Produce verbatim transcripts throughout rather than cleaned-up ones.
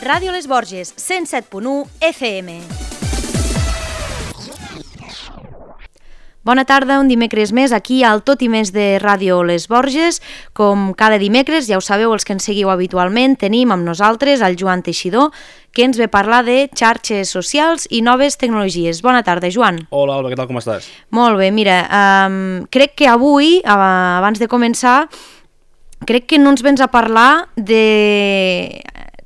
Ràdio Les Borges, cent set punt u F M. Bona tarda, un dimecres més aquí al Tot i Més de Ràdio Les Borges. Com cada dimecres, ja ho sabeu els que ens seguiu habitualment, tenim amb nosaltres el Joan Teixidor, que ens ve parlar de xarxes socials i noves tecnologies. Bona tarda, Joan. Hola, Alba, què tal, com estàs? Molt bé, mira, um, crec que avui, uh, abans de començar, crec que no ens vens a parlar de...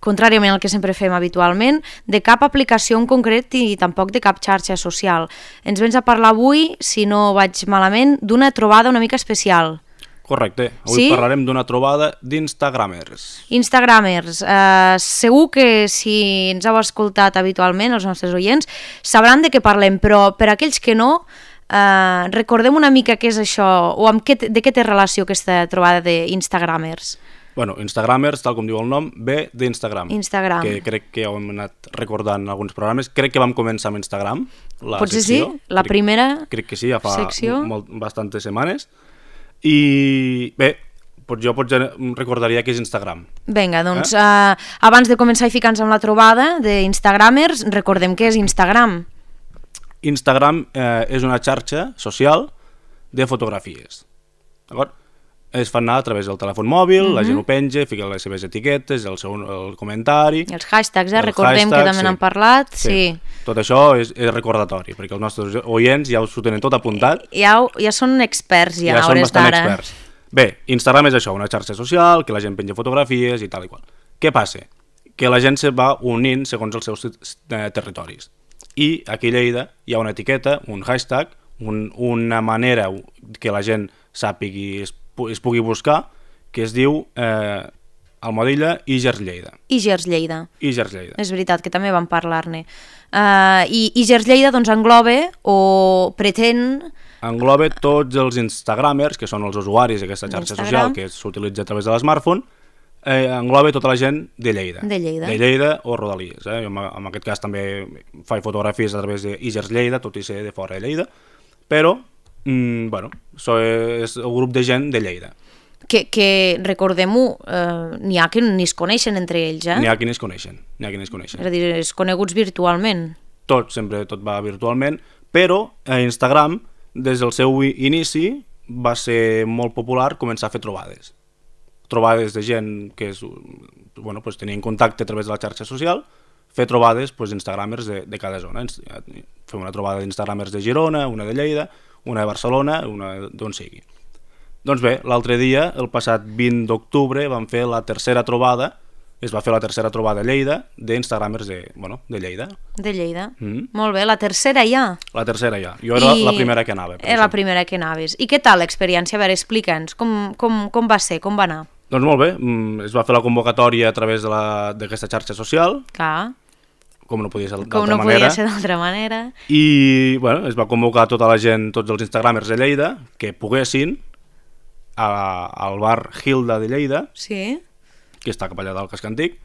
contràriament al que sempre fem habitualment, de cap aplicació en concret i tampoc de cap xarxa social. Ens vens a parlar avui, si no vaig malament, d'una trobada una mica especial. Correcte. Avui Sí? parlarem d'una trobada d'instagramers. Instagramers. Uh, segur que si ens heu escoltat habitualment, els nostres oients, sabran de què parlem, però per aquells que no, uh, recordem una mica què és això, o amb què, de què té relació aquesta trobada d'Instagramers. Bueno, Instagramers, tal com diu el nom, ve d'Instagram. Instagram. Que crec que ja ho hem anat recordant en alguns programes. Crec que vam començar amb Instagram, la Potser secció. sí? La crec, primera Crec que sí, ja fa secció? molt, bastantes setmanes. I bé, pues jo potser recordaria que és Instagram. Vinga, doncs, eh? uh, abans de començar i ficar-nos amb la trobada d'Instagramers, recordem què és Instagram. Instagram eh, és una xarxa social de fotografies. D'acord? Es fan anar a través del telèfon mòbil, mm-hmm. la gent ho penja, fica les seves etiquetes, el seu el comentari... I els hashtags, eh? el Recordem hashtag, que també sí. n'han parlat. Sí. Sí. Tot això és, és recordatori, perquè els nostres oients ja s'ho tenen tot apuntat. Ja, ja són experts, ja, ja a són hores bastant d'ara. experts. Bé, Instagram és això, una xarxa social, que la gent penja fotografies i tal i qual. Què passa? Que la gent se va unint segons els seus eh, territoris. I aquí a Lleida hi ha una etiqueta, un hashtag, un, una manera que la gent sàpigui, es, es pugui buscar, que es diu eh, Almodilla i Gers Lleida. I Gers Lleida. I Gers Lleida. És veritat, que també vam parlar-ne. Uh, I, I Gers Lleida doncs, engloba o pretén... Engloba tots els instagramers, que són els usuaris d'aquesta xarxa social que s'utilitza a través de l'esmartphone, eh, engloba tota la gent de Lleida. De Lleida. De Lleida o Rodalies. Eh? En, en aquest cas també faig fotografies a través de Gers Lleida, tot i ser de fora de Lleida, però, mm, bueno, so, és el grup de gent de Lleida. Que, que recordem-ho, eh, n'hi ha que ni es coneixen entre ells, eh? N'hi ha qui ni es coneixen, n'hi ha qui ni es coneixen. És a dir, es coneguts virtualment. Tot, sempre tot va virtualment, però a Instagram, des del seu inici, va ser molt popular començar a fer trobades. Trobades de gent que és, bueno, pues, tenien contacte a través de la xarxa social, fer trobades pues, instagramers de, de cada zona. Fem una trobada d'instagramers de Girona, una de Lleida, una de Barcelona, una d'on sigui. Doncs bé, l'altre dia, el passat vint d'octubre, vam fer la tercera trobada, es va fer la tercera trobada a Lleida, d'instagramers de, bueno, de Lleida. De Lleida. Mm. Molt bé, la tercera ja. La tercera ja. Jo era I... la primera que anava. Era la primera que anaves. I què tal l'experiència? A veure, explica'ns, com, com, com va ser, com va anar? Doncs molt bé, es va fer la convocatòria a través d'aquesta xarxa social. Clar. Com no podia ser d'altra manera. Com no manera. podia ser d'altra manera. I, bueno, es va convocar tota la gent, tots els instagramers de Lleida, que poguessin, a, al bar Hilda de Lleida, sí. que està cap allà dalt Casc Antic,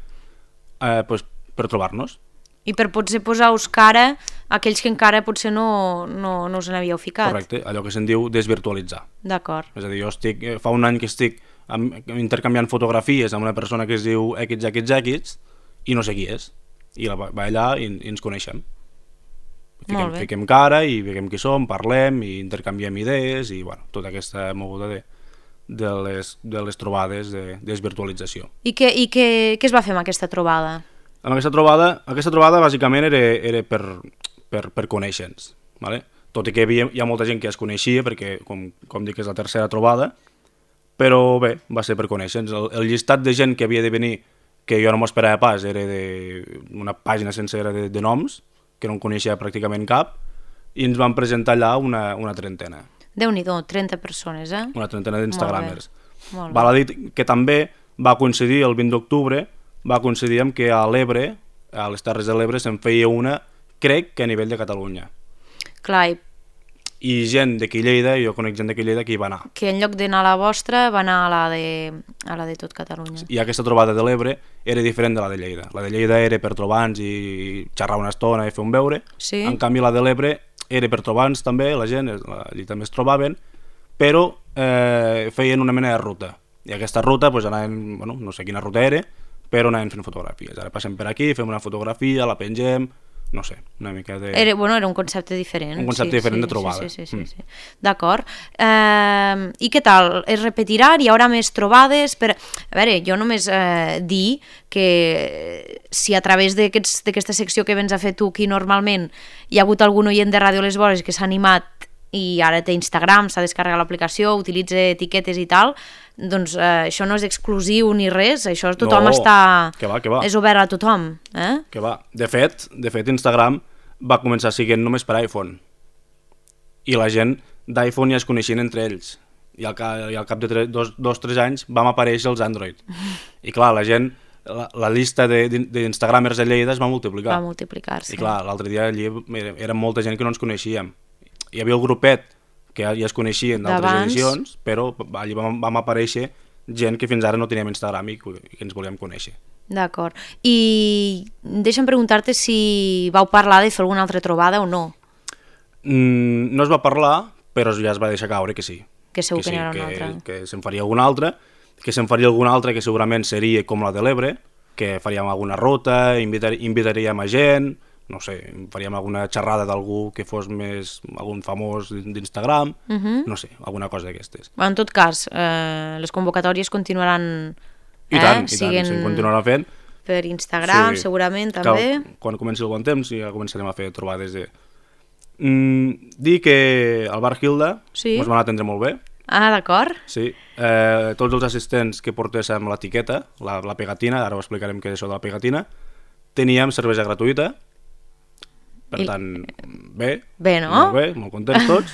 eh, pues, per trobar-nos. I per potser posar-vos cara a aquells que encara potser no, no, no us n'havíeu ficat. Correcte, allò que se'n diu desvirtualitzar. D'acord. És a dir, jo estic, fa un any que estic amb, intercanviant fotografies amb una persona que es diu X X X i no sé qui és. I la, va allà i, i ens coneixem. Fiquem, fiquem cara i veiem qui som, parlem i intercanviem idees i bueno, tota aquesta moguda de, de, les, de les trobades de, de desvirtualització. I, què, i què, què es va fer amb aquesta trobada? Amb aquesta trobada, aquesta trobada bàsicament era, era per, per, per conèixer-nos, ¿vale? Tot i que hi, havia, hi ha molta gent que es coneixia perquè, com, com dic, és la tercera trobada, però bé, va ser per conèixer-nos. El, el llistat de gent que havia de venir, que jo no m'ho esperava pas, era de una pàgina sencera de, de noms, que no en coneixia pràcticament cap, i ens van presentar allà una, una trentena. Déu-n'hi-do, trenta persones, eh? Una trentena d'instagramers. Molt bé. Val a dir que també va coincidir el vint d'octubre, va coincidir amb que a l'Ebre, a les Terres de l'Ebre, se'n feia una, crec que a nivell de Catalunya. Clar, i... I gent d'aquí Lleida, jo conec gent d'aquí Lleida que hi va anar. Que en lloc d'anar a la vostra, va anar a la de, a la de tot Catalunya. I aquesta trobada de l'Ebre era diferent de la de Lleida. La de Lleida era per trobar-nos i xerrar una estona i fer un beure. Sí. En canvi, la de l'Ebre era per trobar-nos també, la gent, allí també es trobaven, però eh, feien una mena de ruta. I aquesta ruta, doncs, anaven, bueno, no sé quina ruta era, però anàvem fent fotografies. Ara passem per aquí, fem una fotografia, la pengem, no sé, una mica de... Era, bueno, era un concepte diferent. Un concepte sí, diferent sí, de trobada. Sí, sí, sí, Mm. sí, sí. D'acord. Eh, I què tal? Es repetirà? Hi haurà més trobades? Per... A veure, jo només eh, dir que si a través d'aquesta aquests, secció que vens a fer tu aquí normalment hi ha hagut algun oient de Ràdio Les Vores que s'ha animat i ara té Instagram, s'ha descarregat l'aplicació, utilitza etiquetes i tal, doncs eh, això no és exclusiu ni res, això tothom No, està... que va, que va. És obert a tothom, eh? Que va. De fet, de fet, Instagram va començar siguent només per iPhone. I la gent d'iPhone ja es coneixien entre ells. I al cap, i al cap de tres, dos, dos tres anys vam aparèixer els Android. I clar, la gent, la, la llista d'Instagramers de, de Lleida es va multiplicar. Va multiplicar-se. I clar, l'altre dia allí era, era molta gent que no ens coneixíem. Hi havia el grupet que ja es coneixien d'altres edicions, però allí vam, vam aparèixer gent que fins ara no teníem Instagram i que, que ens volíem conèixer. D'acord. I deixa'm preguntar-te si vau parlar de fer alguna altra trobada o no. Mm, no es va parlar, però ja es va deixar caure que sí. Que segur que, que, sí, n'hi haurà que, una altra. que se'n faria alguna altra, que se'n faria alguna altra que segurament seria com la de l'Ebre, que faríem alguna ruta, invitar, invitaríem a gent, no sé, faríem alguna xerrada d'algú que fos més, algun famós d'Instagram, uh -huh. no sé, alguna cosa d'aquestes. En tot cas, eh, les convocatòries continuaran... I eh, tant, i siguen tant, se'n continuarà fent. Per Instagram, Sí. segurament, també. Que, quan comenci el bon temps ja començarem a fer trobades de... Mm, dir que al Bar Hilda Sí. ens van atendre molt bé. Ah, d'acord. Sí, eh, tots els assistents que portéssim l'etiqueta, la, la pegatina, ara ho explicarem què és això de la pegatina, teníem cervesa gratuïta, per I... tant, bé, Bé, no? molt bé, molt contents tots,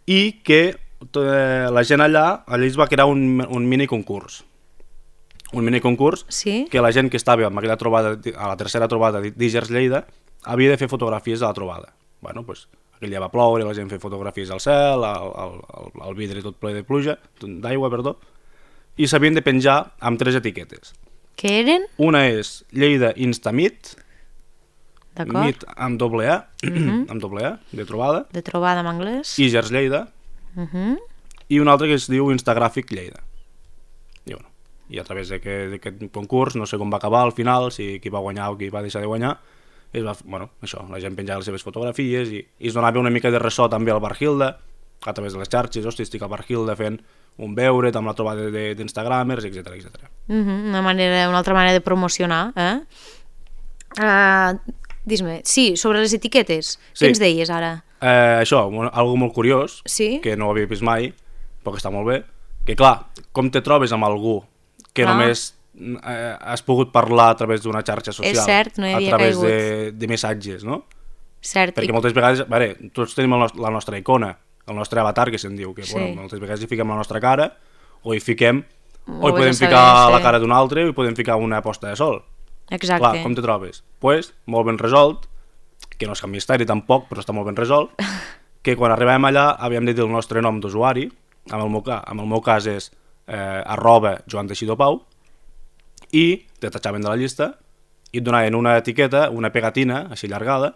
i que eh, la gent allà, allà es va crear un, un mini concurs, un mini concurs Sí. que la gent que estava en aquella trobada, a la tercera trobada d'Igers Lleida, havia de fer fotografies de la trobada. Bueno, doncs, aquell dia va ploure, la gent feia fotografies al cel, al, al, al vidre tot ple de pluja, d'aigua, perdó, i s'havien de penjar amb tres etiquetes. Què eren? Una és Lleida Instamit, D'acord. Meet amb doble A, Uh -huh. amb doble A, de trobada, De trobada en anglès. Igers Lleida, Uh -huh. i una altra que es diu Instagràfic Lleida. I, bueno, i a través d'aquest concurs, no sé com va acabar al final, si qui va guanyar o qui va deixar de guanyar, es va, bueno, això, la gent penjava les seves fotografies i, i es donava una mica de ressò també al Bar Hilda, a través de les xarxes, hosti, estic al Bar Hilda fent un beure, amb la trobada d'Instagramers, etcètera, etcètera. Uh -huh. Una manera, una altra manera de promocionar, eh? Uh, Dis-me, sí, sobre les etiquetes, Sí. què ens deies ara? Eh, això, un- algo molt curiós, Sí? que no ho havia vist mai, però que està molt bé, que clar, com te trobes amb algú que Clar. només eh, has pogut parlar a través d'una xarxa social, És cert, no hi a havia través caigut. de, de missatges, no? Cert. Perquè I... moltes vegades, a veure, tots tenim el nost la nostra icona, el nostre avatar, que se'n diu, que Sí. bueno, moltes vegades hi fiquem la nostra cara, o hi fiquem, Ho o hi vés podem a saber, ficar sí. la cara d'un altre, o hi podem ficar una posta de sol. Exacte. Clar, com te trobes? Doncs, pues, molt ben resolt, que no és cap misteri tampoc, però està molt ben resolt, que quan arribem allà havíem de dir el nostre nom d'usuari, en, el meu ca- en el meu cas és eh, arroba Joan Teixidor Pau, i te tatxaven de la llista i et donaven una etiqueta, una pegatina, així llargada,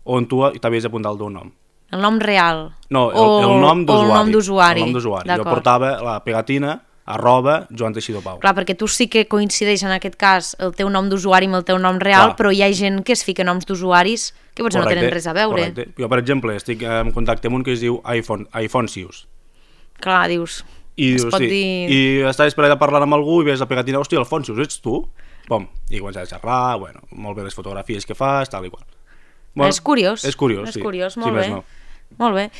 on tu t'havies d'apuntar el teu nom. El nom real. No, el, o, el nom o d'usuari. el nom d'usuari. El nom d'usuari. Jo D'acord. portava la pegatina arroba Joan Teixidor Pau. Clar, perquè tu sí que coincideix en aquest cas el teu nom d'usuari amb el teu nom real, Clar. però hi ha gent que es fica noms d'usuaris que potser Correcte, no tenen res a veure. Correcte. Jo, per exemple, estic en contacte amb un que es diu iPhone, iPhonesius. Clar, dius, I, es dius, pot sí. dir... I estaves per allà parlant amb algú i veus la pegatina, hòstia, Alfonsius, ets tu? Pom, i començar a xerrar, bueno, molt bé les fotografies que fas, tal i qual. Bueno, és curiós. És curiós, és sí. curiós, Sí, molt més bé. no. Molt bé.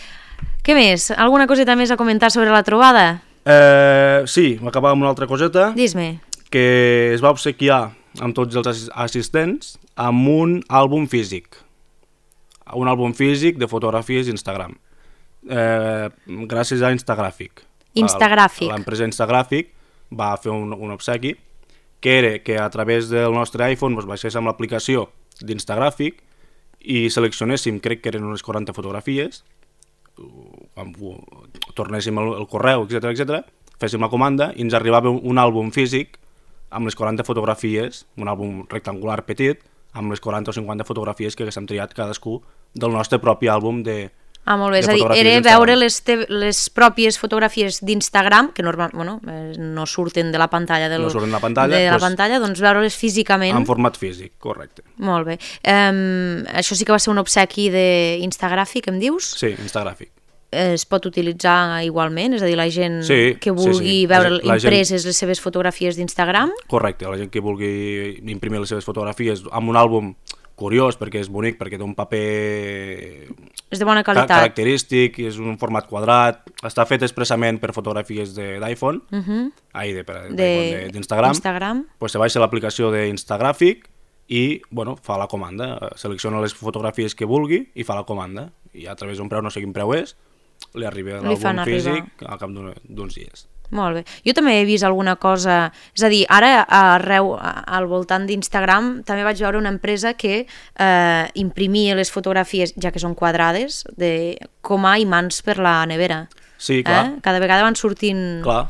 Què més? Alguna coseta més a comentar sobre la trobada? Eh, sí, m'acabava amb una altra coseta, Dis-me. que es va obsequiar amb tots els assis- assistents amb un àlbum físic. Un àlbum físic de fotografies d'Instagram. Eh, gràcies a Instagràfic. Instagràfic. L'empresa Instagràfic va fer un, un obsequi que era que a través del nostre iPhone doncs, baixéssim l'aplicació d'Instagràfic i seleccionéssim, crec que eren unes quaranta fotografies, quan tornéssim el, el correu, etcètera, etcètera, féssim la comanda i ens arribava un, un àlbum físic amb les quaranta fotografies, un àlbum rectangular petit, amb les quaranta o cinquanta fotografies que haguéssim triat cadascú del nostre propi àlbum de, Ah, molt bé, és a dir, era veure les, te les pròpies fotografies d'Instagram, que normal, bueno, no surten de la pantalla, del, no surten de la pantalla, de la pues, pantalla, doncs veure-les físicament. En format físic, correcte. Molt bé. Um, això sí que va ser un obsequi d'Instagràfic, em dius? Sí, Instagràfic. Es pot utilitzar igualment? És a dir, la gent sí, que vulgui sí, sí. veure la impreses gent... les seves fotografies d'Instagram? Correcte, la gent que vulgui imprimir les seves fotografies amb un àlbum curiós, perquè és bonic, perquè té un paper... És de bona qualitat. Ca característic, és un format quadrat, està fet expressament per fotografies d'iPhone, uh -huh. ai, d'Instagram, Instagram. Pues se baixa l'aplicació d'Instagràfic i, bueno, fa la comanda, selecciona les fotografies que vulgui i fa la comanda, i a través d'un preu, no sé quin preu és, li arriba l'àlbum físic al cap d'uns dies. Molt bé. Jo també he vist alguna cosa... És a dir, ara arreu, al voltant d'Instagram, també vaig veure una empresa que eh, imprimia les fotografies, ja que són quadrades, de, com a imants per la nevera. Sí, clar. Eh? Cada vegada van sortint clar.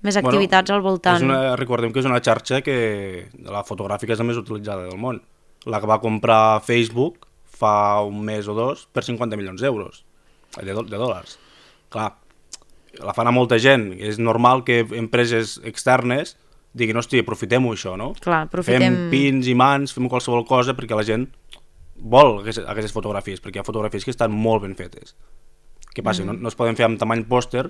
més activitats bueno, al voltant. És una, recordem que és una xarxa que la fotogràfica és la més utilitzada del món. La que va comprar Facebook fa un mes o dos per cinquanta milions d'euros, de, do de dòlars. Clar, la fan a molta gent, és normal que empreses externes diguin, hosti, aprofitem-ho això, no? Clar, aprofitem... Fem pins, imants, fem qualsevol cosa perquè la gent vol aquestes, aquestes fotografies, perquè hi ha fotografies que estan molt ben fetes. Què passa? Mm. No, no es poden fer amb tamany pòster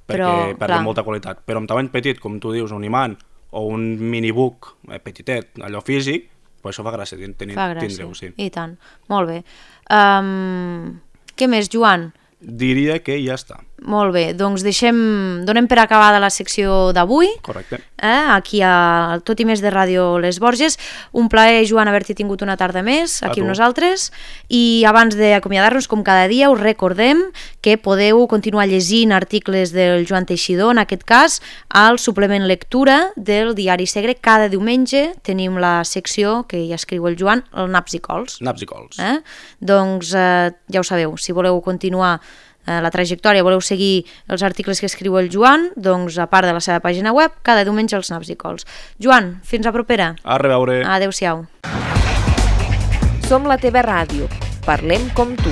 perquè perden molta qualitat, però amb tamany petit, com tu dius, un imant o un minibook eh, petitet, allò físic, pues això fa gràcia, tindreu, sí. I tant, molt bé. Um, què més, Joan? Diria que ja està. Molt bé, doncs deixem, donem per acabada la secció d'avui. Correcte. Eh, aquí a Tot i més de Ràdio Les Borges. Un plaer, Joan, haver-t'hi tingut una tarda més aquí amb nosaltres. I abans d'acomiadar-nos, com cada dia, us recordem que podeu continuar llegint articles del Joan Teixidor, en aquest cas, al suplement lectura del Diari Segre. Cada diumenge tenim la secció que ja escriu el Joan, el Naps i Cols. Naps i Cols. Eh? Doncs eh, ja ho sabeu, si voleu continuar la trajectòria, voleu seguir els articles que escriu el Joan, doncs a part de la seva pàgina web, cada diumenge els Naps i Cols. Joan, fins a propera. A reveure. Adéu-siau. Som la teva ràdio. Parlem com tu.